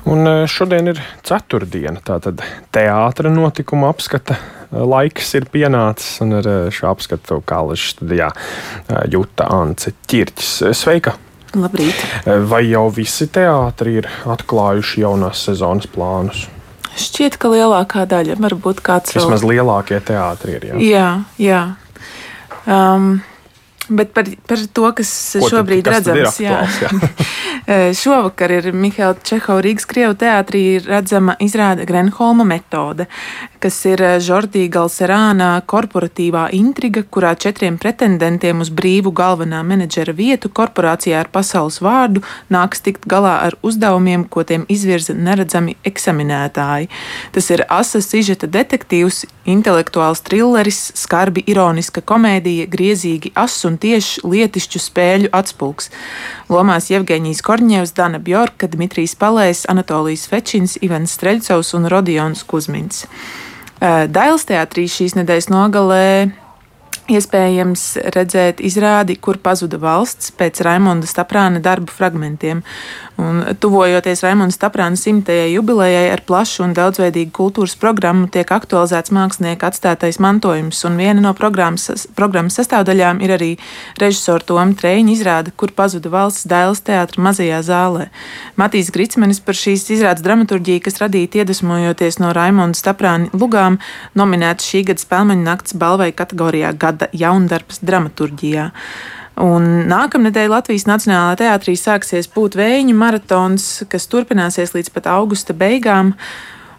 Un šodien ir ceturtdiena, tātad teātra notikuma apskata laiks ir pienācis, un ar šo apskatu Kāleša studijā Juta Ance Ķirķis. Sveika! Labrīt! Vai jau visi teātri ir atklājuši jaunās sezonas plānus? Šķiet, ka lielākā daļa, varbūt kāds vēl. Vismaz lielākie teātri ir, Jā. Bet par to, kas šobrīd redzams, šovakar ir Mihaila Čehova Rīgas Krievu teātrī redzama izrāde Grenholma metode, kas ir Žordī Galserāna korporatīvā intriga, kurā 4 pretendentiem uz brīvu galvenā menedžera vietu korporācijā ar pasaules vārdu nāks tikt galā ar uzdevumiem, ko tiem izvirza neredzami eksaminētāji. Tas ir asa sižeta detektīvs, intelektuāls trilleris, skarbi ironiska komēdija, griezīgi ass un tieši lietišķu spēļu atspulks. Lomās Jevgeņijs Korņevs, Dana Bjorka, Dmitrijs Palējs, Anatolijs Fečins, Ivans Streļcovs un Rodions Kuzmins. Dailes teātrī šīs nedēļas nogalē iespējams redzēt izrādi, kur pazuda valsts pēc Raimonda Staprāna darbu fragmentiem. Un, tuvojoties Raimonda Staprāna 100. jubilejai ar plašu un daudzveidīgu kultūras programmu, tiek aktualizēts mākslinieka atstātais mantojums, un viena no programmas sastāvdaļām ir arī režisora Toma Trēņa izrāde, kur pazuda valsts Dailes teātra mazajā zālē. Matīs Gricmenis par šīs izrādes dramaturģiju, kas radīta iedvesmojoties no Raimonda Staprāna lugām, nominēts šī gada Spēlmeņu nakts balvai kategorijā Gada jaundarbs dramaturģijā. Un nākamnedēļ Latvijas Nacionālajā teātrī sāksies Pūtvējiņu maratons, kas turpināsies līdz pat augusta beigām.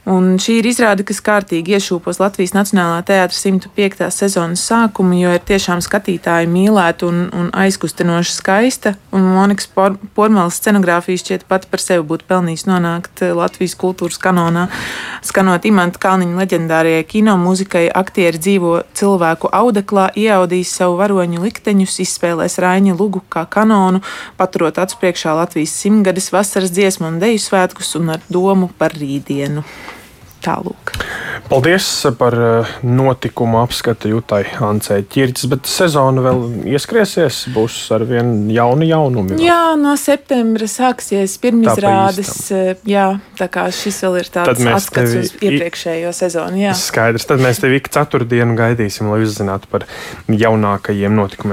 Un šī ir izrāde, kas kārtīgi iešūpos Latvijas Nacionālā teātra 105. sezonas sākumu, jo ir tiešām skatītāji mīlēta un aizkustinoši skaista. Un Monikas Pormalas scenogrāfija šķiet pat par sevi būtu pelnījis nonākt Latvijas kultūras kanonā. Skanot Imanta Kalniņa leģendārajai kino mūzikai, aktieri dzīvo cilvēku audeklā, ieaudīs savu varoņu likteņus, izspēlēs Raiņa lugu kā kanonu, paturot acu priekšā Latvijas 100-gades vasaras dziesmu un deju svētkus un ar domu par rītdienu. Tālūk. Paldies par notikumu apskatu Jutai Ancei Ķirķis, bet sezona vēl ieskriesies, būs ar vien jaunumi. Jā, no septembra sāksies pirmizrādes, tā kā šis vēl ir tāds atskats uz iepriekšējo sezonu. Jā. Skaidrs, tad mēs tevi ik ceturtdienu gaidīsim, lai uzzinātu par jaunākajiem notikumiem.